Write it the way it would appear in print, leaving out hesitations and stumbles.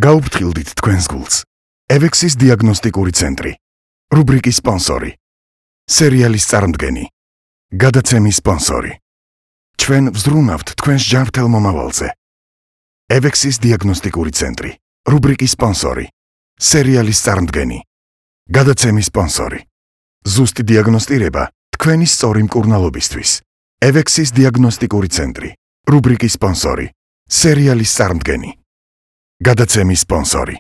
გაუფრთხილდით თქვენს გულს. ევექსის დიაგნოსტიკური ცენტრი. რუბრიკის სპონსორი. სერიალის წარმდგენი. გადაცემის სპონსორი. ჩვენ ვზრუნავთ თქვენს ჯანმრთელ მომავალზე. ევექსის დიაგნოსტიკური ცენტრი. რუბრიკის სპონსორი. სერიალის წარმდგენი. გადაცემის სპონსორი. ზუსტი დიაგნოსტირება თქვენი სწორი მკურნალობისთვის. ევექსის დიაგნოსტიკური ცენტრი. რუბრიკის სპონსორი. სერიალის წარმდგენი. გადაცემის სპონსორი.